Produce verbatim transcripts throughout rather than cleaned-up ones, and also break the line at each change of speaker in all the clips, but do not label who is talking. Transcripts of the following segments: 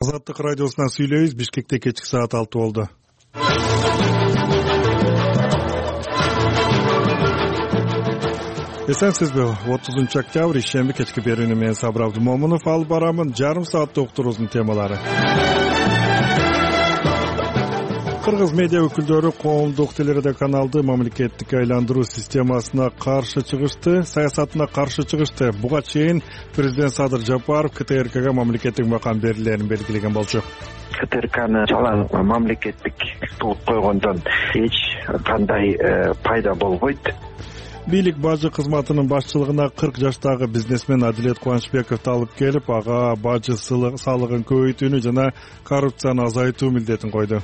Азаттык радиосунан сүйлөйбүз. Бишкекте кечки саат алты болду. Эсенсизби? отузунчу октябрь ишемби кечки берүүнү мен Сабыр Абдымомунов алып барамын. Жарым саатта уктуруубуздун темалары. Кыргыз медиа өкүлдөрү коомдук телерадиоканалды мамлекеттик айландыруу системасына каршы чыгышты, саясатына каршы чыгышты. Буга чейин президент Садыр Жапаров КТРКга мамлекеттик макам берилерин белгилеген болчу.
КТРКны жалаң мамлекеттик кылып койгондон эч кандай пайда болбойт.
Бийлик бажы кызматынын башчылыгына кырк жаштагы бизнесмен Адилет Кубанычбековду алып келип, ага бажы салыгын көбөйтүүнү жана коррупцияны азайтуу милдетин койду.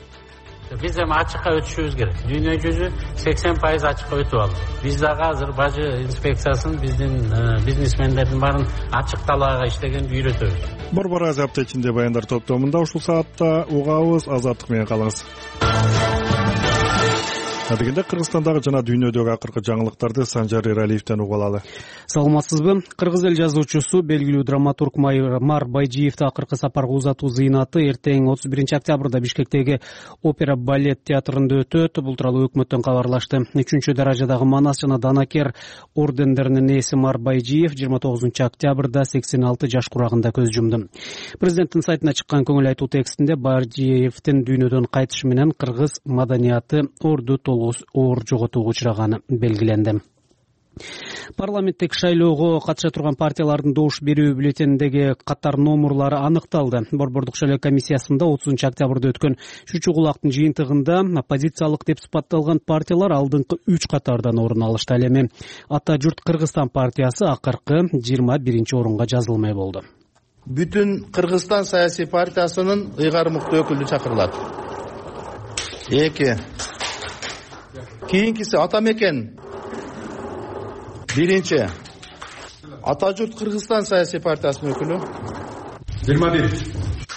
Биз эми ачыкка өтүшүбүз керек. Дүйнө жүзү сексен пайыз ачыкка өтүп алды. Биз дагы азыр бажы инспекциясын биздин бизнесмендердин баарын ачык талаага иштегенди үйрөтөбүз.
Борбор Азия апта ичинде баяндар топтомунда ушул саатта угабыз. Азаттык менен калыңыз. Адегенде Кыргызстандагы жана дүйнөдөгү акыркы жаңылыктарды Санжар Эралиевден угуп алалы.
Саламатсызбы? Кыргыз эл жазуучусу, белгилүү драматург Мар Байжиевди акыркы сапарга узатуу зыйнаты эртең отуз биринчи октябрда Бишкектеги опера балет театрында өтөт. Бул тууралуу өкмөттөн кабарлашты. үчүнчү даражадагы Манас жана Данакер ордендеринин ээси Мар Байжиев жыйырма тогузунчу октябрда сексен алты жаш курагында көз жумду. Президенттин сайтына чыккан көңүл айтуу текстинде Байжиевдин дүйнөдөн кайтышы менен кыргыз маданияты орду оор жоготууга учураганы белгиленди. Парламенттик шайлоого катыша турган партиялардын добуш берүү бюллетениндеги катар номурлары аныкталды. Борбордук шайлоо комиссиясында отузунчу октябрда өткөн Шучу кулактын жыйынтыгында оппозициялык деп сыпатталган партиялар алдыңкы үч катардан орун алышты. Ал эми Ата журт Кыргызстан партиясы акыркы жыйырма биринчи орунга жазылмай болду.
Бүтүн Кыргызстан саясий партиясынын ыйгар мыкты өкүлү чакырылат. эки Кийинкиси Ата Мекен. Биринчи Ата журт Кыргызстан саясий партиясынын өкүлү.
жыйырма бир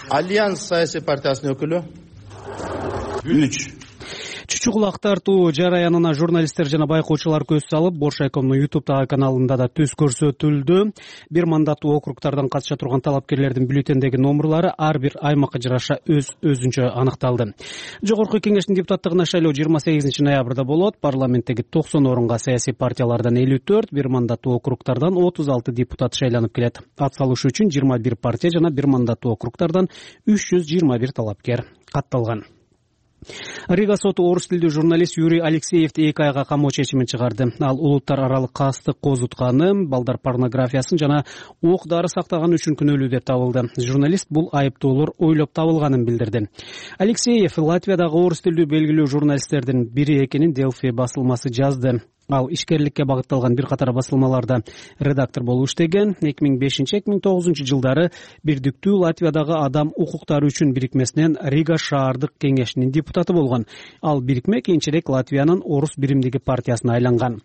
Альянс саясий партиясынын өкүлү. үч
Чучу кулак тартуу жараянына журналисттер жана байкоочулар көз салып, Боршайкомдун ютубтагы каналында да түз көрсөтүлдү. Бир мандаттуу округтардан катыша турган талапкерлердин бюллетендеги номурлары ар бир аймакка жараша өз өзүнчө аныкталды. Жогорку кеңештин депутаттыгына шайлоо жыйырма сегизинчи ноябрда болот. Парламенттеги токсон орунга саясий партиялардан элүү төрт, бир мандаттуу округтардан отуз алты депутат шайланып келет. Ат салышы үчүн жыйырма бир партия жана бир мандаттуу округтардан үч жүз жыйырма бир талапкер катталган. Рига соту орус тилдүү журналист Юрий Алексеевди эки айга камоо чечимин чыгарды. Ал улуттар аралык кастык козутканы, балдар порнографиясын жана ок дары сактаганы үчүн күнөөлүү деп табылды. Журналист бул айыптоолор ойлоп табылганын билдирди. Алексеев Латвиядагы орус тилдүү белгилүү журналисттердин бири экенин Делфи басылмасы жазды. Ал ишкерликке багытталган бир катар басылмаларда редактор болуп иштеген. эки миң бешинчи эки миң тогузунчу жылдары Бирдиктүү Латвиядагы адам укуктары үчүн бирикмесинен Рига шаардык кеңешинин депутаты болгон. Ал бирикме кийинчерээк Латвиянын орус биримдиги партиясына айланган.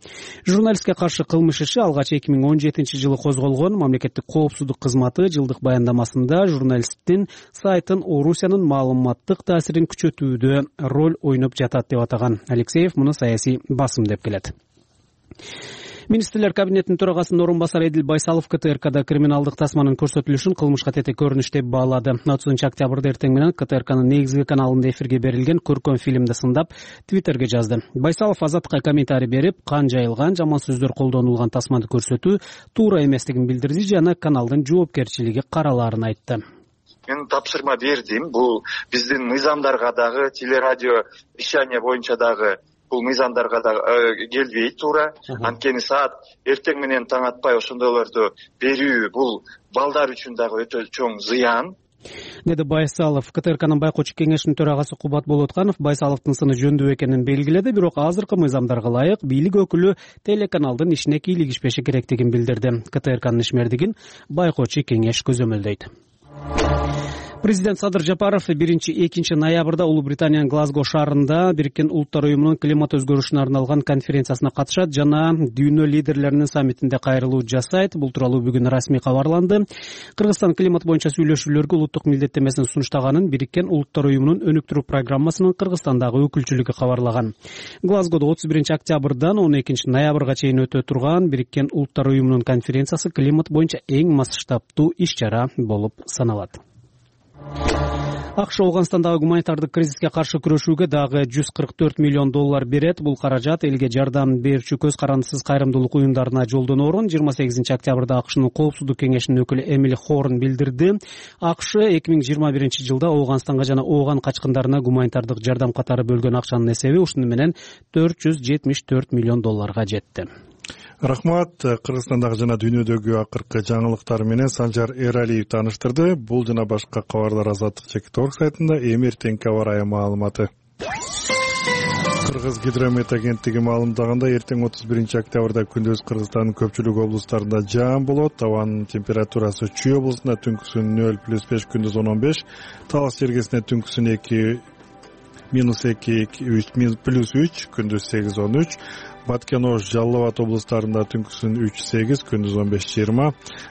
Журналистке каршы кылмыш иши алгач эки миң он жетинчи жылы козголгон. Мамлекеттик коопсуздук кызматы жылдык баяндамасында журналисттин сайтын Орусиянын маалыматтык таасирин күчөтүүдө роль ойноп жатат деп атаган. Алексеев муну саясий басым деп келет. Министрлер кабинетинин төрагасынын орун басары Эдил Байсалов КТРКда криминалдык тасманын көрсөтүлүшүн кылмышка тетек көрүнүш деп баалады. отузунчу октябрда эртең менен КТРКнын негизги каналында эфирге берилген көркөм фильмди сындап Твиттерге жазды. Байсалов Азаттыкка комментарий берип, кан жайылган, жаман сөздөр колдонулган тасманы көрсөтүү туура эместигин билдирди жана каналдын жоопкерчилиги каралаарын айтты.
Мен тапшырма бердим. Бул биздин мыйзамдарга дагы, телерадио вещание боюнча дагы бул мыйзамдарга да келбейт туура. Анткени саат эртең менен таң атпай ошондойлорду берүү бул балдар үчүн дагы өтө чоң зыян,
деди Байсалов. КТРКнын байкоочу кеңешинин төрагасы Кубат Болотканов Байсаловдун сыны жөндүү экенин белгиледи, бирок азыркы мыйзамдарга ылайык бийлик өкүлү телеканалдын ишине кийлигишпеши керектигин билдирди. КТРКнын ишмердигин байкоочу кеңеш көзөмөлдөйт. Президент Садыр Жапаров биринчи экинчи ноябрда Улуу Британиянын Глазго шаарында Бириккен Улуттар уюмунун климат өзгөрүшүнө арналган конференциясына катышат жана дүйнө лидерлеринин саммитинде кайрылуу жасайт. Бул тууралуу бүгүн расмий кабарланды. Кыргызстан климат боюнча сүйлөшүүлөргө улуттук милдеттемесин сунуштаганын Бириккен Улуттар уюмунун өнүктүрүү программасынын Кыргызстандагы өкүлчүлүгү кабарлаган. Глазгодо отуз биринчи октябрдан он экинчи ноябрга чейин өтө турган Бириккен Улуттар уюмунун конференциясы климат боюнча эң масштабтуу иш чара болуп саналат. акш Ооганстандагы гуманитардык кризиске каршы күрөшүүгө дагы жүз кырк төрт миллион доллар берет. Бул каражат элге жардам берүүчү көз карандысыз кайрымдуулук уюмдарына жолдоноорун жыйырма сегизинчи октябрда акшнын Коопсуздук кеңешинин өкүлү Эмили Хорн билдирди. акш эки миң жыйырма биринчи жылда Ооганстанга жана Ооган качкындарына гуманитардык жардам катары бөлгөн акчанын эсеби ушуну менен төрт жүз жетимиш төрт миллион долларга жетти.
Рахмат. Кыргызстандагы жана дүйнөдөгү акыркы жаңылыктар менен Санжар Эралиев тааныштырды. Бул жана башка кабарлар Азаттык чекит орг сайтында. Эми эртеңки аба ырайы маалыматы. Кыргыз гидромет агенттиги маалымдаганда эртең отуз биринчи октябрда күндүз Кыргызстандын көпчүлүк облустарында жаан болот. Абанын температурасы Чүй облусунда түнкүсүн нөл плюс беш, күндүз он он беш, Талас жергесинде түнкүсүн эки минус эки үч плюс үч, күндүз сегиз он үч, Баткен Ош Жалал Абад облустарында түнкүсүн үч сегиз, күндүз он беш жыйырма,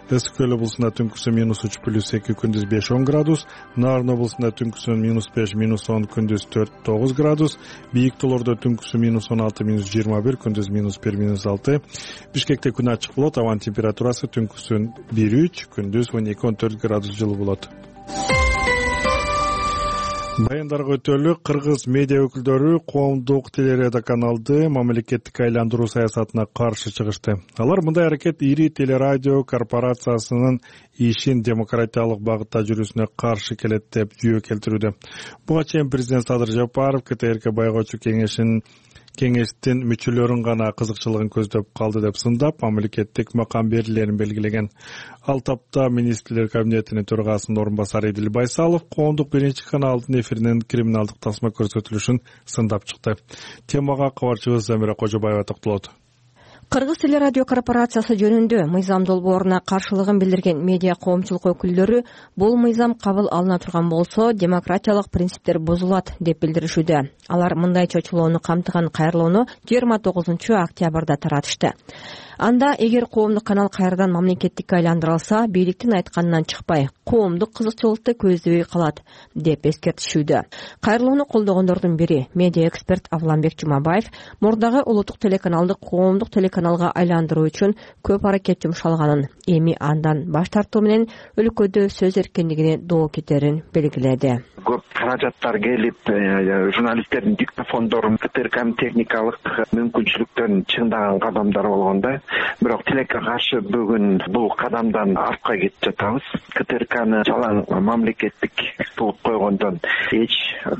Ысык Көл облусунда түнкүсүн минус үч плюс эки, күндүз беш он градус, Нарын облусунда түнкүсүн минус беш минус он, күндүз төрт тогуз градус, Бийик Тоолордо түнкүсүн минус он алты минус жыйырма бир, күндүз минус бир минус алты, Бишкекте күн ачык болот, абанын температурасы түнкүсүн бир үч, күндүз он эки он төрт градус жылы болот. Баяндарга өтөлү. Кыргыз медиа өкүлдөрү коомдук телерадиоканалды мамлекеттик айландыруу саясатына каршы чыгышты. Алар мындай аракет ири телерадио корпорациясынын ишин демократиялык багытта жүрүүсүнө каршы келет деп жүйө келтирүүдө. Буга чейин президент Садыр Жапаров КТРК байкоочу кеңешин кеңештин мүчөлөрүн гана кызыкчылыгын көздөп калды деп сындап, мамлекеттик макам берилерин белгилеген. Ал тапта министрлер кабинетинин төрагасынын орун басары Эдил Байсалов коомдук биринчи каналдын эфиринен криминалдык тасма көрсөтүлүшүн сындап чыкты. Темага кабарчыбыз Замира Кожобаева токтолот.
Кыргыз телерадио корпорациясы жөнүндө мыйзам долбооруна каршылыгын билдирген медиа коомчулук өкүлдөрү бул мыйзам кабыл алына турган болсо демократиялык принциптер бузулат деп билдиришүүдө. Алар мындай чочулоону камтыган кайрылууну жыйырма тогузунчу октябрда таратышты. Анда эгер коомдук канал кайрадан мамлекеттикке айландырылса, бийликтин айтканынан чыкпай, коомдук кызыкчылыкты көздөбөй калат деп эскертишүүдө. Кайрылууну колдогондордун бири медиа эксперт Авламбек Жумабаев мурдагы улуттук телеканалды коомдук телеканалга айландыруу үчүн көп аракет жумшалганын, эми андан баш тартуу менен өлкөдө сөз эркиндигине доо кетерин белгиледи.
Көп каражаттар келип, журналисттердин диктофондорун КТРКнын техникалык мүмкүнчүлүктөрүн чыңдаган кадамдар болгондо, бирок тилекке каршы бүгүн бул кадамдан артка кетип жатабыз. КТРКны жалаң мамлекеттик кылып койгондон эч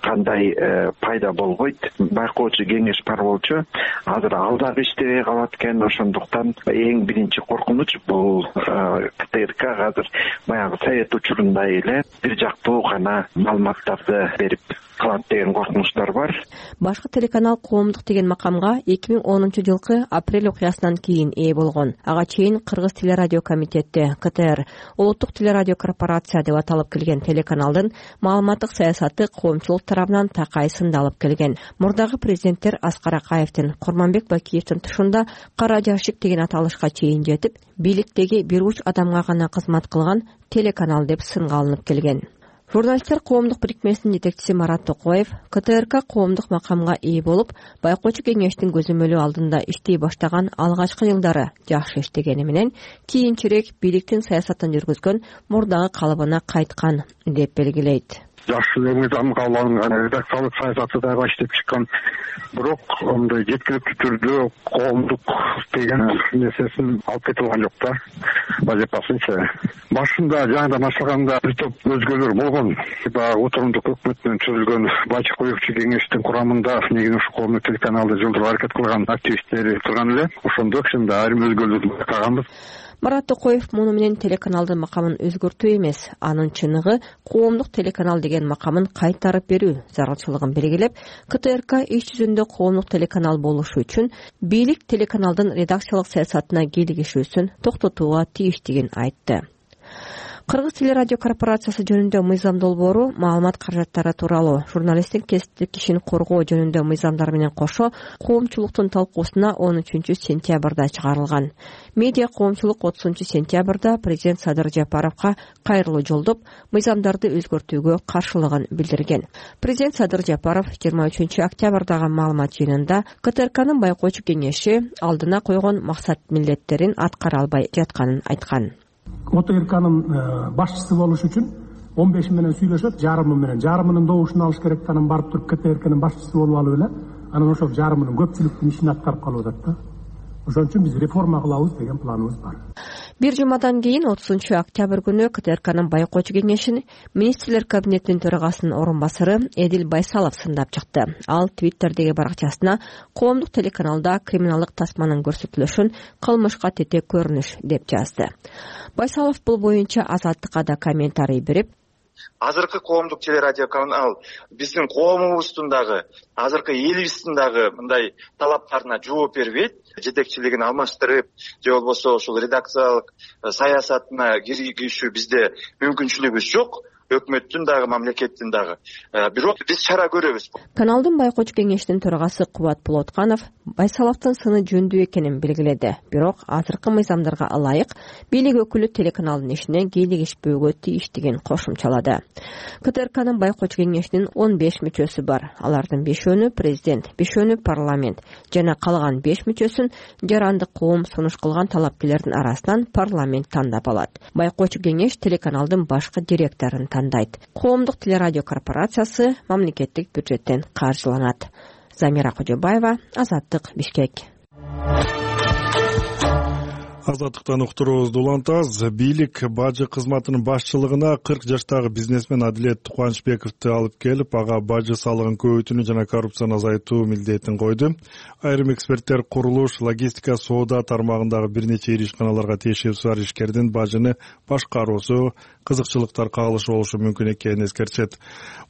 кандай пайда болбойт. Байкоочу кеңеш бар болчу, азыр ал дагы иштебей калат экен. Ошондуктан эң биринчи коркунуч бул КТРК азыр баягы совет учурундай эле бир жактуу гана маалыматтарды берип калат деген коркунучтар бар.
Башкы телеканал коомдук деген макамга эки миң онунчу жылкы апрель окуясынан кийин ээ болгон. Ага чейин Кыргыз телерадио комитети КТР улуттук телерадио корпорация деп аталып келген телеканалдын маалыматтык саясаты коомчулук тарабынан такай сындалып келген. Мурдагы президенттер Аскар Акаевдин, Курманбек Бакиевдин тушунда кара жашик деген аталышка чейин жетип, бийликтеги бир уч адамга гана кызмат кылган телеканал деп сынга алынып келген. Журналисттер коомдук бирикмесинин жетекчиси Марат Токоев КТРК коомдук макамга ээ болуп, байкоочу кеңештин көзөмөлү алдында иштей баштаган алгачкы жылдары жакшы иштегени менен кийинчерээк бийликтин саясатын жүргүзгөн мурдагы калыбына кайткан деп белгилейт.
Жакшы мыйзам кабыл алынган, редакциялык саясаты дагы иштеп чыккан. Бирок мындай жеткиликтүү түрдө коомдук деген нерсесин алып кете алган жок да. Вазифасынча. Башында жаңыдан баштаганда бир топ өзгөлөр болгон. Баягы отурундук өкмөт менен түзүлгөн байчы коюучу кеңештин курамында негизи ушу коомдук телеканалды жылдырууга аракет кылган активисттери турган эле. Ошондо кичине айрым өзгөлөрдү байкаганбыз.
Марат Токоев муну менен телеканалдын макамын өзгөртүү эмес, анын чыныгы коомдук телеканал деген макамын кайтарып берүү зарылчылыгын белгилеп, КТРК иш жүзүндө коомдук телеканал болушу үчүн бийлик телеканалдын редакциялык саясатына кийлигишүүсүн токтотууга тийиштигин айтты. Кыргыз телерадио корпорациясы жөнүндө мыйзам долбоору маалымат каражаттары тууралуу, журналисттин кесиптик кишин коргоо жөнүндө мыйзамдар менен кошо коомчулуктун талкуусуна он үчүнчү сентябрда чыгарылган. Медиа коомчулук отузунчу сентябрда президент Садыр Жапаровго кайрылуу жолдоп, мыйзамдарды өзгөртүүгө каршылыгын билдирген. Президент Садыр Жапаров жыйырма үчүнчү октябрдагы маалымат жыйынында КТРКнын байкоочу кеңеши алдына койгон максат милдеттерин аткара албай жатканын айткан.
ОТРКнын башчысы болуш үчүн он беши менен сүйлөшөт, жарымы менен жарымынын добушун алыш керек, анан барып туруп КТРКнын башчысы болуп алып эле анан ошол жарымынын көпчүлүктүн ишин аткарып калып атат да. Ошон үчүн биз реформа кылабыз деген планыбыз бар.
Бир жумадан кийин отузунчу октябрь күнү КТРКнын байкоочу кеңешин министрлер кабинетинин төрагасынын орун басары Эдил Байсалов сындап чыкты. Ал Твиттердеги баракчасына коомдук телеканалда криминалдык тасманын көрсөтүлүшүн кылмышка тете көрүнүш деп жазды. Байсалов бул боюнча Азаттыкка да комментарий берип,
азыркы коомдук телерадио канал биздин коомубуздун дагы азыркы элибиздин дагы мындай талаптарына жооп бербейт. Жетекчилигин алмаштырып же болбосо ушул редакциялык саясатына киргизүү бизде мүмкүнчүлүгүбүз жок. Өкмөттүн дагы мамлекеттин дагы. Бирок биз чара көрөбүз.
Каналдын байкоочу кеңешинин төрагасы Кубат Болотканов Байсаловдун сыны жөндүү экенин белгиледи. Бирок азыркы мыйзамдарга ылайык бийлик өкүлү телеканалдын ишине кийлигишпөөгө тийиштигин кошумчалады. КТРКнын байкоочу кеңешинин он беш мүчөсү бар. Алардын бешөөнү президент, бешөөнү парламент жана калган беш мүчөсүн жарандык коом сунуш кылган талапкерлердин арасынан парламент тандап алат. Байкоочу кеңеш телеканалдын башкы директорун тандайт. Коомдук телерадио корпорациясы мамлекеттик бюджеттен каржыланат. Замира Кожобаева, Азаттык, Бишкек.
Азаттыктан уктуруубузду улантабыз. Бийлик бажы кызматынын башчылыгына кырк жаштагы бизнесмен Адилет Кубанычбековду алып келип, ага бажы салыгын көбөйтүүнү жана коррупцияны азайтуу милдетин койду. Айрым эксперттер курулуш, логистика, соода тармагындагы бир нече ири ишканаларга тиешеси бар ишкердин бажыны башкаруусу кызыкчылыктар кагылышы болушу мүмкүн экенин эскертет.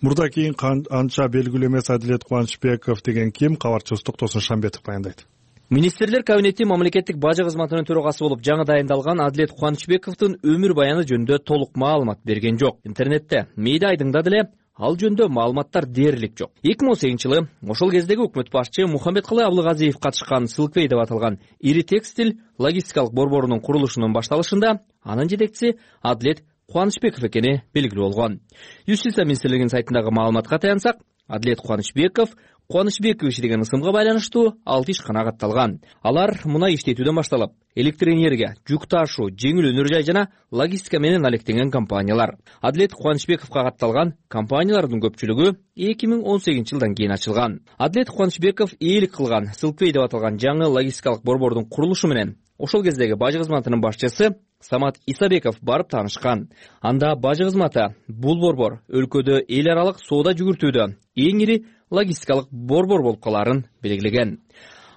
Мурда кийин анча белгилүү эмес Адилет Кубанычбеков деген ким? Кабарчыбыз Токтосун Шамбетов баяндайт.
Министрлер кабинети мамлекеттик бажы кызматынын төрагасы болуп жаңы дайындалган Адилет Кубанычбековдун өмүр баяны жөнүндө толук маалымат берген жок. Интернетте, медиа айдыңда деле ал жөнүндө маалыматтар дээрлик жок. эки миң он сегизинчи жылы ошол кездеги өкмөт башчы Мухаммедкалый Абылгазиев катышкан Сылквей деп аталган ири текстиль логистикалык борборунун курулушунун башталышында анын жетекчиси Адилет Кубанычбеков экени белгилүү болгон. Юстиция министрлигинин сайтындагы маалыматка таянсак, Адилет Кубанычбеков Кубанычбекович деген ысымга байланыштуу алты ишкана катталган. Алар мунай иштетүүдөн башталып, электр энергия, жүк ташуу, жеңил өнөр жай жана логистика менен алектенген компаниялар. Адилет Кубанычбековго катталган компаниялардын көпчүлүгү эки миң он сегизинчи жылдан кийин ачылган. Адилет Кубанычбеков ээлик кылган Сылквей деп аталган жаңы логистикалык борбордун курулушу менен ошол кездеги бажы кызматынын башчысы Самат Исабеков барып таанышкан. Анда бажы кызматы бул борбор өлкөдө эл аралык соода жүгүртүүдө эң ири логистикалык борбор болуп калаарын белгилеген.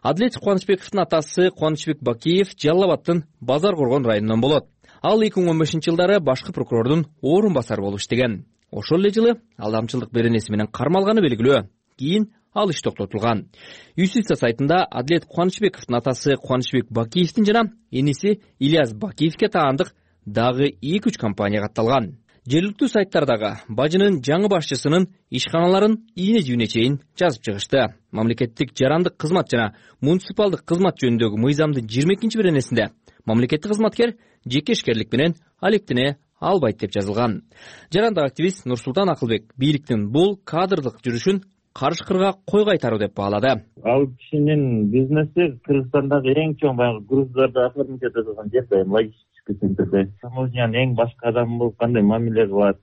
Адилет Кубанычбековдун атасы Кубанычбек Бакиев Жалал Абадтын Базар Коргон районунан болот. Ал эки миң он бешинчи жылдары башкы прокурордун орун басары болуп иштеген. Ошол эле жылы алдамчылык беренеси менен кармалганы белгилүү. Кийин ал иш токтотулган. Юстиция сайтында Адилет Кубанычбековдун атасы Кубанычбек Бакиевдин жана эниси Ильяс Бакиевке таандык дагы эки үч компания катталган. Жергиликтүү сайттардагы бажынын жаңы башчысынын ишканаларын ийне-жийине чейин жазып чыгышты. Мамлекеттик жарандык кызмат жана муниципалдык кызмат жөнүндөгү мыйзамдын жыйырма экинчи беренесинде мамлекеттик кызматкер жеке ишкерлик менен алектене албайт деп жазылган. Жарандык активист Нурсултан Акылбек бийликтин бул кадрдык жүрүшүн карышкырга кой кайтаруу деп баалады.
Ал кишинин бизнеси Кыргызстандагы эң чоң баягы груздарды оформить этилген жерде, логистический центрде. Таможнян эң башкы адам болуп кандай мамиле кылат.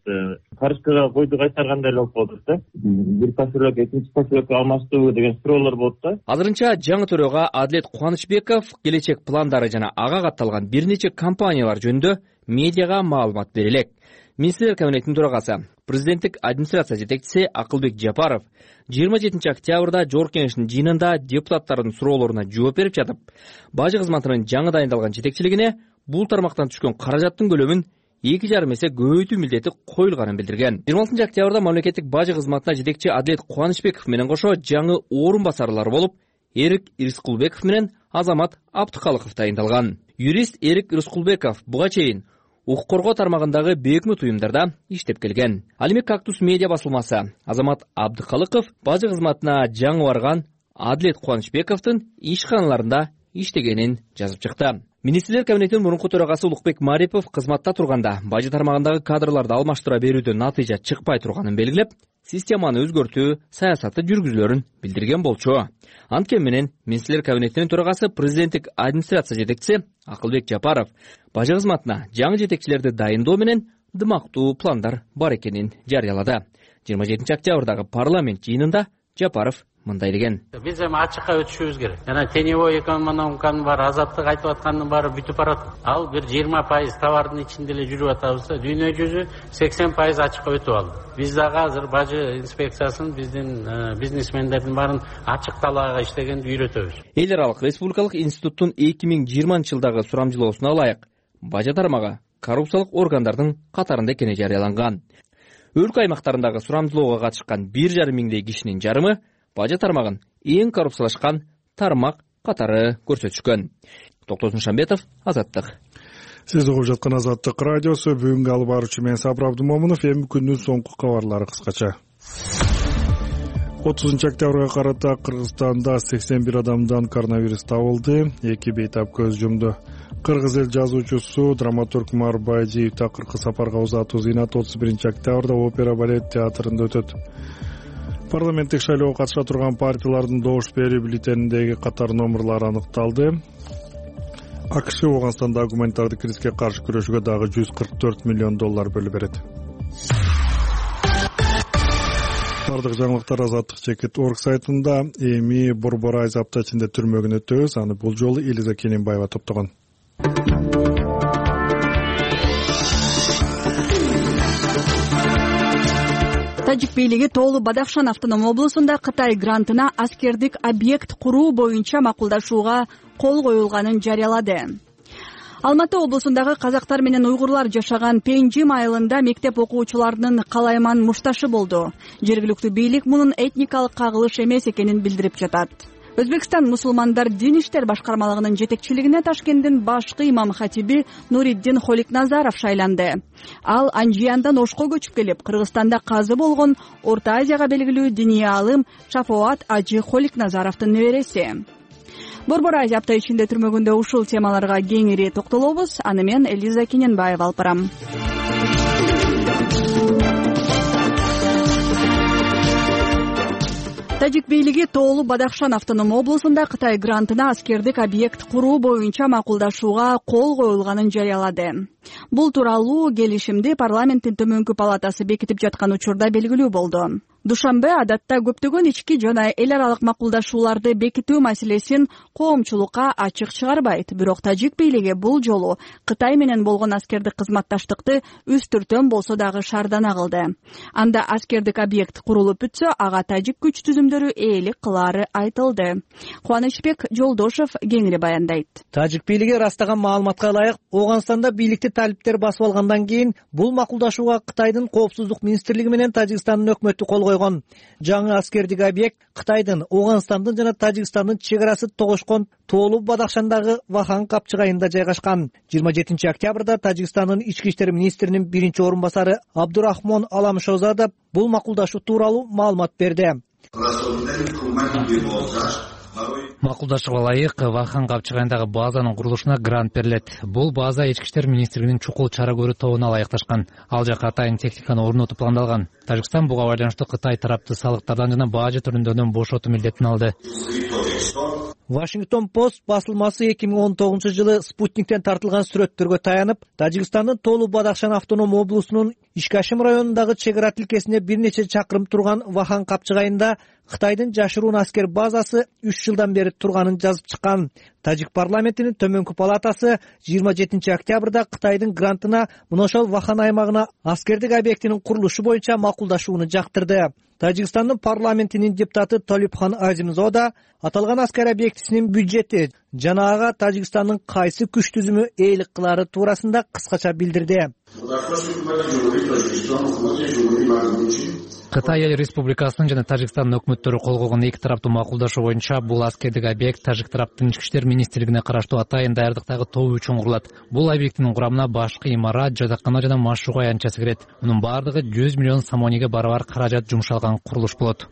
Карышкырга койду кайтаргандай эле болуп калдык да. Бир поселок экинчи поселокко алмаштыруу деген суроолор болот да.
Азырынча жаңы төрага Адилет Кубанычбеков келечек пландары жана ага катталган бир нече компаниялар жөнүндө медиага маалымат берилет. Министрлер кабинетинин төрагасы, президенттик администрация жетекчиси Акылбек Жапаров жыйырма жетинчи октябрда Жогорку кеңештин жыйынында депутаттардын суроолоруна жооп берип жатып, бажы кызматынын жаңы дайындалган жетекчилигине бул тармактан түшкөн каражаттын көлөмүн эки жарым эсе көбөйтүү милдети коюлганын билдирген. жыйырма алтынчы октябрда мамлекеттик бажы кызматына жетекчи Адилет Кубанычбеков менен кошо жаңы орун басарлар болуп, Эрик Рыскулбеков менен Азамат Абдыкалыков дайындалган. Юрист Эрик Рыскулбеков буга чейин укук коргоо тармагындагы бейөкмөт уюмдарда иштеп келген. Ал эми Кактус медиа басылмасы Азамат Абдыкалыков бажы кызматына жаңы барган Адилет Кубанычбековдун ишканаларында иштегенин жазып чыкты. Министрлер кабинетинин мурунку төрагасы Улукбек Марипов кызматта турганда бажы тармагындагы кадрларды алмаштыра берүүдөн натыйжа чыкпай турганын белгилеп, системаны өзгөртүү саясаты жүргүзүлөрүн билдирген болчу. Анткени менен Министрлер кабинетинин төрагасы президенттик администрация жетекчиси Акылбек Жапаров бажы кызматына жаңы жетекчилерди дайындоо менен дымактуу пландар бар экенин жарыялады. жыйырма жетинчи октябрдагы парламент жыйынында Жапаров мындай деген:
биз эми ачыкка өтүшүбүз керек. Жана теневой экономиканын баары, азаттык айтып аткандын баары бүтүп барат. Ал бир жыйырма пайыз товардын ичинде эле жүрүп атабыз да, дүйнө жүзү сексен пайыз ачыкка өтүп алды. Биз дагы азыр бажы инспекциясын биздин бизнесмендердин баарын ачык талаага иштегенди үйрөтөбүз.
Эл аралык республикалык институттун эки миң жыйырманчы жылдагы сурамжылоосуна ылайык бажы тармагы коррупциялык органдардын катарында экени жарыяланган. Өлкө аймактарындагы сурамжылоого катышкан бир жарым миңдей кишинин жарымы бажы тармагын эң коррупциялашкан тармак катары көрсөтүшкөн. Токтосун Шамбетов, Азаттык.
Сиз угуп жаткан Азаттык радиосу. Бүгүнкү алып баруучу мен Сабыр Абдымомунов. Эми күндүн соңку кабарлары кыскача. отузунчу октябрга карата Кыргызстанда сексен бир адамдан коронавирус табылды, эки бейтап көз жумду. Кыргыз эл жазуучусу, драматург Мар Байдиев такыркы сапарга узатуу зыйнаты отуз биринчи октябрда опера балет театрында өтөт. Парламенттик шайлоого катыша турган партиялардын добуш берүү бюллетениндеги катар номерлары аныкталды. АКШ Ооганстандагы гуманитардык кризиске каршы күрөшүүгө дагы жүз кырк төрт миллион доллар бөлүп берет. Бардык жаңылыктар Азаттык чекит точка орг сайтында. Эми Борбор айз апта ичинде түрмөгүн өтөбүз. Аны бул жолу Элиза Кененбаева топтогон.
Тажик бийлиги Тоолу Бадахшан автоном облусунда Кытай грантына аскердик объект куруу боюнча макулдашууга кол коюлганын жарыялады. Алматы облусундагы казактар менен уйгурлар жашаган Пенжим айылында мектеп окуучуларынын калайман мушташы болду. Жергиликтүү бийлик мунун этникалык кагылыш эмес экенин билдирип жатат. Өзбекстан мусулмандар дин иштер башкармалыгынын жетекчилигине Ташкенттин башкы имам хатиби Нуриддин Холикназаров шайланды. Ал Анжияндан Ошко көчүп келип, Кыргызстанда казы болгон Орто Азияга белгилүү диний аалым Шафоат Ажы Холикназаровдун небереси. Борбор айз апта ичинде түрмөгүндө ушул темаларга кеңири токтолобуз. Аны мен Элиза Кененбаева алып барам. Тажик бийлиги Тоолу Бадахшан автоном облусунда Кытай грантына аскердик объект куруу боюнча макулдашууга кол коюлганын жарыялады. Бул тууралуу келишимди парламенттин төмөнкү палатасы бекитип жаткан учурда белгилүү болду. Душанбе адатта көптөгөн ички жана эл аралык макулдашууларды бекитүү маселесин коомчулукка ачык чыгарбайт. Бирок Тажик бийлиги бул жолу Кытай менен болгон аскердик кызматташтыкты үстүртөн болсо дагы шаардана кылды. Анда аскердик объект курулуп бүтсө, ага тажик күч түзүмдөрү ээлик кылаары айтылды. Кубанычбек Жолдошов кеңири баяндайт.
Тажик бийлиги ырастаган маалыматка ылайык, Ооганстанда бийликти талиптер басып алгандан кийин бул макулдашууга Кытайдын коопсуздук министрлиги менен Тажикстандын өкмөтү кол койгон. Жаңы аскердик объект Кытайдын, Ооганстандын жана Тажикстандын чек арасы тогошкон Тоолу Бадахшандагы Вахан капчыгайында жайгашкан. жыйырма жетинчи октябрда Тажикстандын ички иштер министринин биринчи орун басары Абдурахмон Аламшозада бул макулдашуу тууралуу маалымат берди.
Макулдашууга ылайык Вахан капчыгайындагы базанын курулушуна грант берилет. Бул база ички иштер министрлигинин чукул чара көрүү тобуна ылайыкташкан. Ал жака атайын техниканы орнотуу пландалган. Тажикстан буга байланыштуу Кытай тарапты салыктардан жана бажы түрүндөрдөн бошотуу милдетин алды.
Вашингтон Пост басылмасы эки миң он тогузунчу жылы спутниктен тартылган сүрөттөргө таянып, Тажикстандын Тоолу Бадахшан автоном облусунун Ишкашим районундагы чек ара тилкесине бир нече чакырым турган Вахан капчыгайында Кытайдын жашыруун аскер базасы үч жылдан бери турганын жазып чыккан. Тажик парламентинин төмөнкү палатасы жыйырма жетинчи октябрда Кытайдын грантына мына ошол Вахан аймагына аскердик объектинин курулушу боюнча макулдашууну жактырды. Тажикстандын парламентинин депутаты Толипхан Азимзода аталган аскер объектисинин бюджети жана ага Тажикстандын кайсы күч түзүмү ээлик кылаары туурасында кыскача билдирди.
Кытай эл республикасынын жана Тажикстандын өкмөттөрү кол койгон эки тараптуу макулдашуу боюнча бул аскердик объект Тажик тараптын ички иштер министрлигине караштуу атайын даярдыктагы тобу үчүн курулат. Бул объекттин курамына башкы имарат, жатакана жана машыгуу аянтчасы кирет. Мунун баардыгы жүз миллион сомониге барабар каражат жумшалган курулуш болот.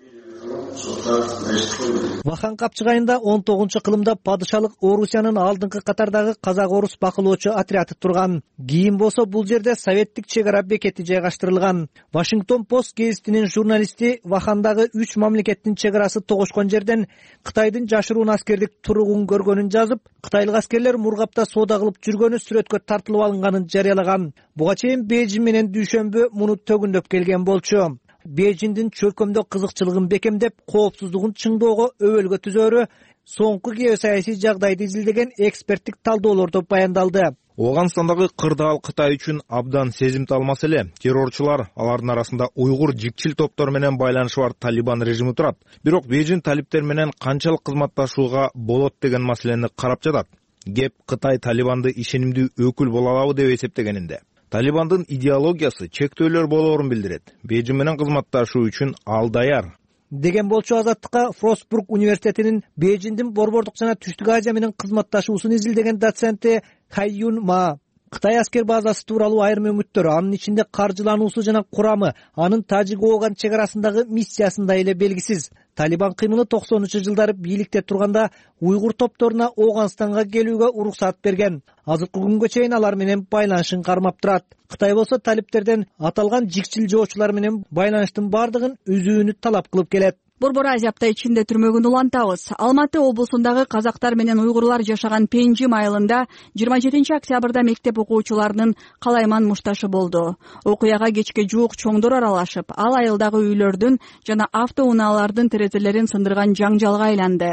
Вахан Капчыгайында он тогузунчу кылымда падышалык Орусиянын алдыңкы катардагы казак орус бакылоочу отряды турган. Кийин болсо бул жерде советтик чек ара бекети жайгаштырылган. Вашингтон Пост гезитинин журналисти Вахандагы үч мамлекеттин чек арасы тогошкон жерден Кытайдын жашыруун аскердик туругун көргөнүн жазып, кытайлык аскерлер Мургапта соода кылып жүргөнү сүрөткө тартылып алынганын жарыялаган. Буга чейин Бейжиң менен Дүйшөмбү муну төгүндөп келген болчу. Бейжиңдин чөлкөмдө кызыкчылыгын бекемдеп, коопсуздугун чыңдоого өбөлгө түзөөрү соңку геосаясий жагдайды изилдеген эксперттик талдоолордо баяндалды.
Ооганстандагы кырдаал Кытай үчүн абдан сезимтал маселе. Террорчулар, алардын арасында уйгур жикчил топтор менен байланышы бар Талибан режими турат. Бирок Бейжиң талиптер менен канчалык кызматташууга болот деген маселени карап жатат. Кеп Кытай Талибанды ишенимдүү өкүл боло алабы деп эсептегенинде. Талибандын идеологиясы чектөөлөр болоорун билдирет. Бейжиң менен кызматташуу үчүн ал даяр
деген болчу. Азаттыкка Фростбург университетинин Бейжиңдин Борбордук жана Түштүк Азия менен кызматташуусун изилдеген доценти Хайюн Ма Кытай аскер базасы тууралуу айрым үмүттөр, анын ичинде каржылануусу жана курамы, анын Тажик-Ооган чек арасындагы миссиясында эле белгисиз. Талибан кыймылы токсонунчу жылдары бийликте турганда уйгур топторуна Ооганстанга келүүгө уруксат берген. Азыркы күнгө чейин алар менен байланышын кармап турат. Кытай болсо талиптерден аталган жикчил жоочулар менен байланыштын бардыгын үзүүнү талап кылып келет.
Борбор Азия апта ичинде түрмөгүн улантабыз. Алматы облусундагы казактар менен уйгурлар жашаган Пенжим айылында жыйырма жетинчи октябрда мектеп окуучуларынын калайман мушташы болду. Окуяга кечке жуук чоңдор аралашып, ал айылдагы үйлөрдүн жана автоунаалардын терезелерин сындырган жаңжалга айланды.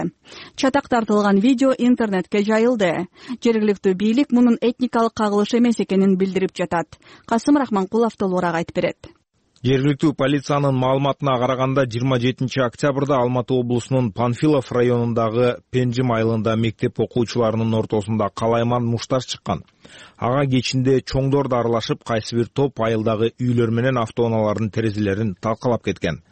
Чатак тартылган видео интернетке жайылды. Жергиликтүү бийлик мунун этникалык кагылыш эмес экенин билдирип жатат. Касым Рахманкулов толугураак айтып берет.
Жергиликтүү полициянын маалыматына караганда жыйырма жетинчи октябрда Алматы облусунун Панфилов районундагы Пенжим айылында мектеп окуучуларынын ортосунда калайман мушташ чыккан. Ага кечинде чоңдор да аралашып, кайсы бир топ айылдагы үйлөр менен автоунаалардын терезелерин талкалап кеткен.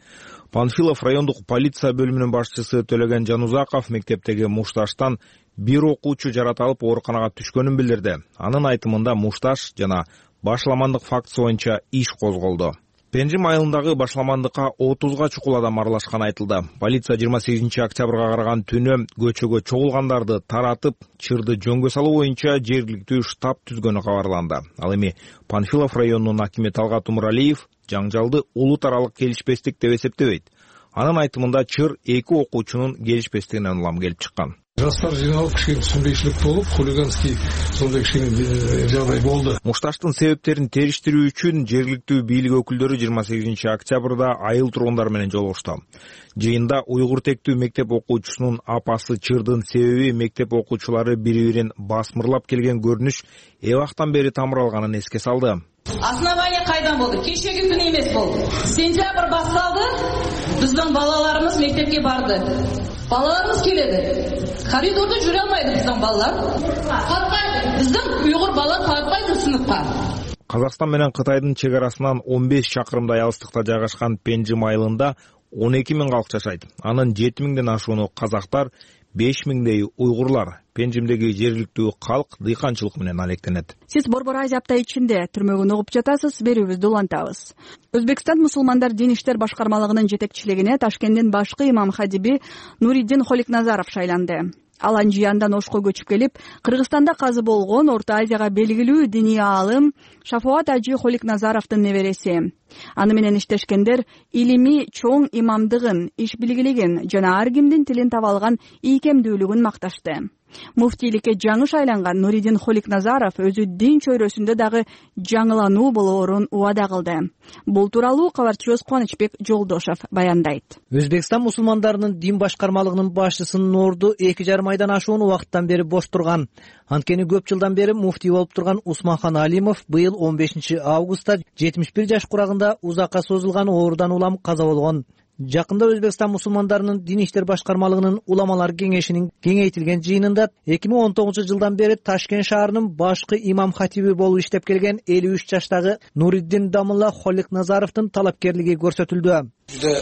Панфилов райондук полиция бөлүмүнүн башчысы Төлөгөн Жанузаков мектептеги мушташтан бир окуучу жаратылып ооруканага түшкөнүн билдирди. Анын айтымында мушташ жана башламандык фактысы боюнча иш козголду. Пенжим айылындагы башламандыкка отузга чукул адам аралашканы айтылды. Полиция жыйырма сегизинчи октябрга караган түнү көчөгө чогулгандарды таратып, чырды жөнгө салуу боюнча жергиликтүү штаб түзгөнү кабарланды. Ал эми Панфилов районунун акими Талгат Умуралиев жаңжалды улут аралык келишпестик деп эсептебейт. Анын айтымында чыр эки окуучунун келишпестигинен улам келип чыккан.
Жастар жиналып кичине түшүнбөйчүлүк болуп, хулиганский сондай кичине жагдай болду.
Мушташтын себептерин териштирүү үчүн жергиликтүү бийлик өкүлдөрү жыйырма сегизинчи октябрда айыл тургундары менен жолугушту. Жыйында уйгур тектүү мектеп окуучусунун апасы чырдын себеби мектеп окуучулары бири-бирин басмырлап келген көрүнүш эбактан бери тамыралганын эске салды.
Основание кайдан болду? Кечеги күнү эмес болду. Сентябрь башталды. Биздин балаларыбыз мектепке барды. Балаларыбыз келеді. Коридорда жүре алмайды биздин балалар. Катпайды. Биздин уйгур бала катпайды сыныпка.
Казакстан менен Кытайдын чек арасынан он беш чакырымдай алыстыкта жайгашкан Пенжим айылында он эки миң калк жашайт. Анын жети миңден ашууну казактар, беш миңдей уйгурлар. Пенжимдеги жергиликтүү калк дыйканчылык менен алектенет.
Сиз Борбор Азия апта ичинде түрмөгүн угуп жатасыз, берүүбүздү улантабыз. Өзбекстан мусулмандар дин иштер башкармалыгынын жетекчилигине Ташкенттин башкы имам хадиби Нуриддин Холикназаров шайланды. Ал Анжияндан Ошко көчүп келип, Кыргызстанда казы болгон Орто Азияга белгилүү диний аалым Шафоат Ажи Холикназаровдун небереси. Аны менен иштешкендер илимий чоң имамдыгын, иш билгилигин жана ар кимдин тилин таба алган ийкемдүүлүгүн макташты. Муфтийликке жаңы шайланган Нуриддин Холикназаров өзү дин чөйрөсүндө дагы жаңылануу болоорун убада кылды. Бул тууралуу кабарчыбыз Кубанычбек Жолдошов баяндайт.
Өзбекстан мусулмандарынын дин башкармалыгынын башчысынын орду эки жарым айдан ашуун убакыттан бери бош турган. Анткени көп жылдан бери муфтий болуп турган Усманхан Алимов быйыл он бешинчи августта жетимиш бир жаш курагында узакка созулган оорудан улам каза болгон. Жакында Өзбекстан мусулмандарынын дин иштер башкармалыгынын уламалар кеңешинин кеңейтилген жыйынында эки миң он тогузунчу жылдан бери Ташкент шаарынын башкы имам хатиби болуп иштеп келген элүү үч жаштагы Нуриддин Дамылла Холикназаровдун талапкерлиги көрсөтүлдү.
Жүдө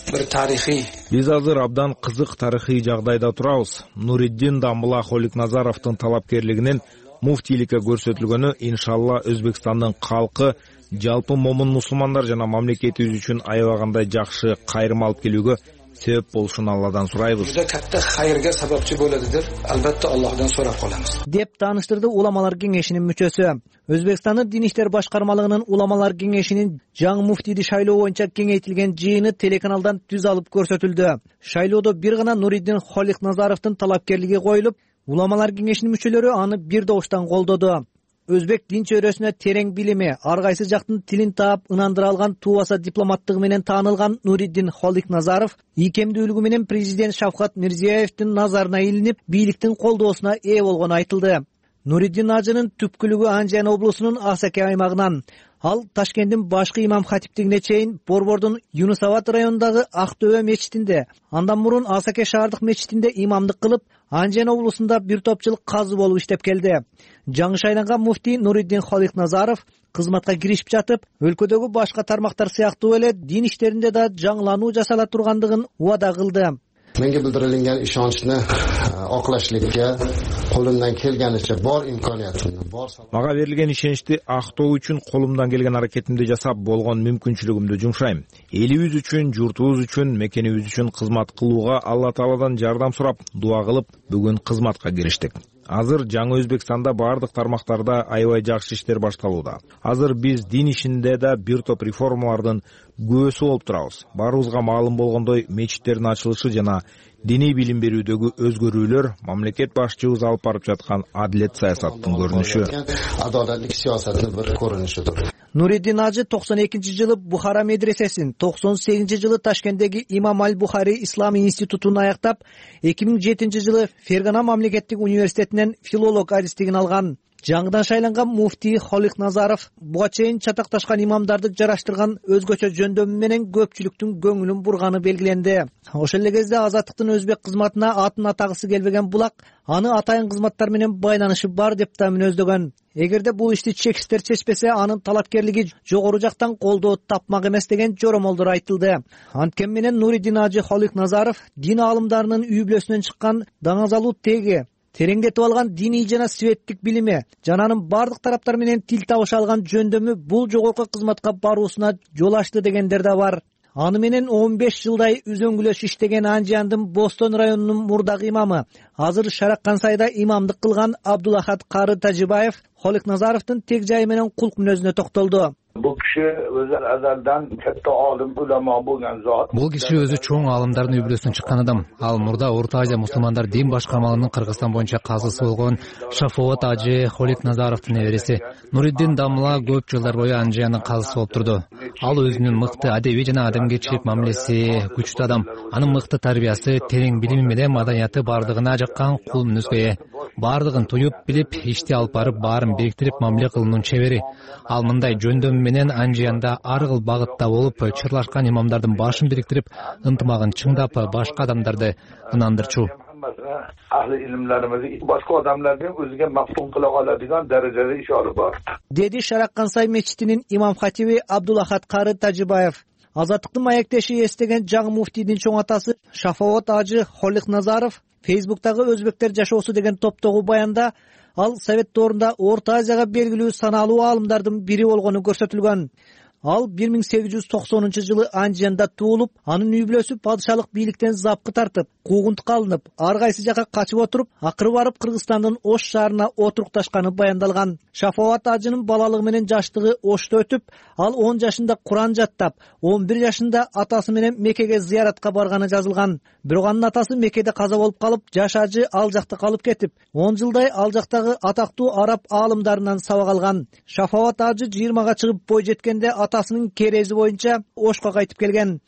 бир тарыхый.
Биз азыр абдан кызык тарыхый жагдайда турабыз. Нуриддин Дамылла Холикназаровдун талапкерлигинин муфтийликке көрсөтүлгөнү иншалла Өзбекстандын калкы, жалпы момун мусулмандар жана мамлекетибиз үчүн аябагандай жакшы кайрым алып келүүгө себеп болушун Алладан сурайбыз.
Juda katta xayrga sababchi bo'ladi deb albatta Allohdan so'rab qolamiz.
Деп тааныштырды уламалар кеңешинин мүчөсү. Өзбекстандын Дин иштер башкармалыгынын уламалар кеңешинин жаңы муфтийди шайлоо боюнча кеңейтилген жыйыны телеканалдан түз алып көрсөтүлдү. Шайлоодо бир гана Нуриддин Холикназаровдун талапкерлиги коюлуп, уламалар кеңешинин мүчөлөрү аны бир добуштан колдоду. Өзбек дин чөйрөсүнө терең билими, ар кайсы жактын тилин таап ынандыра алган туубаса дипломаттыгы менен таанылган Нуриддин Холикназаров ийкемдүүлүгү менен президент Шавкат Мирзиеевдин назарына илинип, бийликтин колдоосуна ээ болгону айтылды. Нуриддин ажынын түпкүлүгү Анжан облусунун Асаке аймагынан. Ал Ташкенттин башкы имам хатиптигине чейин Борбордун Юнусабад районундагы Ак Төбө мечитинде, андан мурун Асаке шаардык мечитинде имамдык кылып, Анжан облусунда бир топ жыл казы болуп иштеп келди. Жаңы шайланган муфтий Нуриддин Холикназаров кызматка киришип жатып, өлкөдөгү башка тармактар сыяктуу эле дин иштеринде да жаңылануу жасала тургандыгын убада кылды.
Menga bildirilgan ishonchni oqlashlikka qo'limdan kelganicha bor imkoniyatimni, bor
Мага берилген ишеничти актоо үчүн колумдан келген аракетимди жасап, болгон мүмкүнчүлүгүмдү жумшайм. Элибиз үчүн, журтубуз үчүн, мекенибиз үчүн кызмат кылууга Алла Тааладан жардам сурап, дуа кылып, бүгүн кызматка кириштик. Азыр жаңы Өзбекстанда бардык тармактарда аябай жакшы иштер башталууда. Азыр биз дин ишинде да бир топ реформалардын күбөсү болуп турабыз. Баарыбызга маалым болгондой, мечиттердин ачылышы жана диний билим берүүдөгү өзгөрүүлөр мамлекет башчыбыз алып барып жаткан адилет саясаттын көрүнүшү.
Адалаттык саясаттын бир көрүнүшүдүр.
Нуриддин ажы токсон экинчи жылы Бухара медресесин, токсон сегизинчи жылы Ташкенттеги Имам аль-Бухари Ислами институтун аяктап, эки миң жетинчи жылы Фергана мамлекеттик университетинен филолог аристигин алган. Жаңыдан шайланган муфтий Холикназаров буга чейин чатакташкан имамдарды жараштырган өзгөчө жөндөмү менен көпчүлүктүн көңүлүн бурганы белгиленди. Ошол эле кезде азаттыктын өзбек кызматына атын атагысы келбеген булак аны атайын кызматтар менен байланышы бар деп да мүнөздөгөн. Эгерде бул ишти чекистер чечпесе, анын талапкерлиги жогору жактан колдоо тапмак эмес деген жоромолдор айтылды. Анткени менен Нуриддин ажы Холикназаров дин аалымдарынын үй бүлөсүнөн чыккан даңазалуу теги, тереңдетип алган диний жана светтик билими жана анын бардык тараптар менен тил табыша алган жөндөмү бул жогорку кызматка баруусуна жол ачты дегендер да бар. Аны менен он беш жылдай үзөңгүлөш иштеген Анжандын Бостон районунун мурдагы имамы, азыр Шараккансайда имамдык кылган Абдулахат Кары Тажибаев Холикназаровдун тег жайы менен кулк мүнөзүнө токтолду.
Bu kishi o'zi azaldan katta olim, ulamo bo'lgan zot.
Бул киши өзү чоң аалымдардын үй бүлөсүнөн чыккан адам. Ал мурда Орто Азия мусулмандар дин башкармалыгынын Кыргызстан боюнча казысы болгон Шафоот ажы Холикназаровдун небереси. Нуриддин Дамла көп жылдар бою Анжандын казысы болуп турду. Ал өзүнүн мыкты адеби жана адамгерчилик мамилеси күчтүү адам. Анын мыкты тарбиясы, терең билими менен маданияты бардыгына жаккан кул мүнөзгө ээ. Бардыгын туюп билип, ишти алып барып, баарын бириктирип мамиле кылуунун чебери. Ал мындай жөндөм менен Анжанда ар кыл багытта болуп, чырлашкан имамдардын башын бириктирип, ынтымагын чыңдап, башка адамдарды ынандырчу.
Ahli ilmlarimizni boshqa odamlarga o'ziga maftun qila oladigan darajada ish olib bordi.
Dedi Шараккансай мечитинин имам хатиби Абдулахат Кары Тажибаев. Азаттыктын маектеши эстеген жаңы муфтийдин чоң атасы Шафоот ажы Холикназаров Фейсбуктагы өзбектер жашоосу деген топтогу баянда ал Совет доорунда Орто Азияга белгилүү саналуу аалымдардын бири болгону көрсөтүлгөн. Ал бир миң сегиз жүз токсонунчу жылы Анжанда туулуп, анын үй бүлөсү падышалык бийликтен запкы тартып, куугунтукка алынып, ар кайсы жака качып отуруп, акыры барып Кыргызстандын Ош шаарына отурукташканы баяндалган. Шафоат ажынын балалыгы менен жаштыгы Ошто өтүп, ал он жашында Куран жаттап, он бир жашында атасы менен Меккеге зыяратка барганы жазылган. Бирок анын атасы Меккеде каза болуп калып, жаш ажы ал жакта калып кетип, он жылдай ал жактагы атактуу араб аалымдарынан сабак алган. Шафоат ажы жыйырмага чыгып бой жеткенде атасынын керези боюнча Ошко кайтып келген.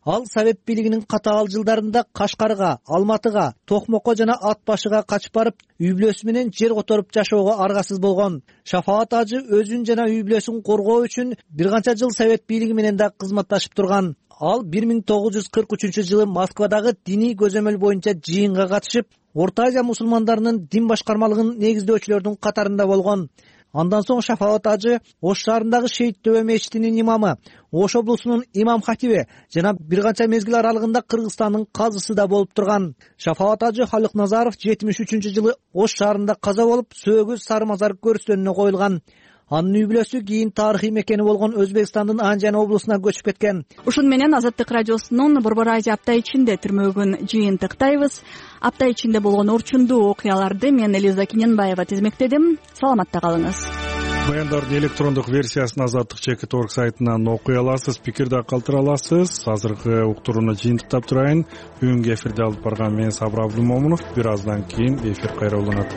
Ал Совет бийлигинин катаал жылдарында Кашкарга, Алматыга, Токмокко жана Ат башыга качып барып, үй бүлөсү менен жер которуп жашоого аргасыз болгон. Шафаат ажы өзүн жана үй бүлөсүн коргоо үчүн бир канча жыл Совет бийлиги менен да кызматташып турган. Ал бир миң тогуз жүз кырк үчүнчү жылы Москвадагы диний көзөмөл боюнча жыйынга катышып, Орто Азия мусулмандарынын дин башкармалыгын негиздөөчүлөрдүн катарында болгон. Андан соң Шафаат ажы Ош шаарындагы Шейит Төбө мечитинин имамы, Ош облусунун имам хатиби жана бир канча мезгил аралыгында Кыргызстандын казысы да болуп турган. Шафаат ажы Холикназаров жетимиш үчүнчү жылы Ош шаарында каза болуп, сөөгү Сары Мазар көрүстөнүнө коюлган. анын үй бүлөсү кийин тарыхый мекени болгон Өзбекстандын Анжан облусуна көчүп кеткен.
Ушун менен Азаттык радиосунун Борбор Азия апта ичинде түрмөгүн жыйынтыктайбыз. Апта ичинде болгон орчундуу окуяларды мен Элиза Кененбаева тизмектедим. Саламатта калыңыз.
Баяндардын электрондук версиясын Азаттык чекит точка орг сайтынан окуй аласыз, пикир да калтыра аласыз. Азыркы уктурууну жыйынтыктап турайын. Бүгүнкү эфирде алып барган мен Сабыр Абдулмомунов. Бир аздан кийин эфир кайра уланат.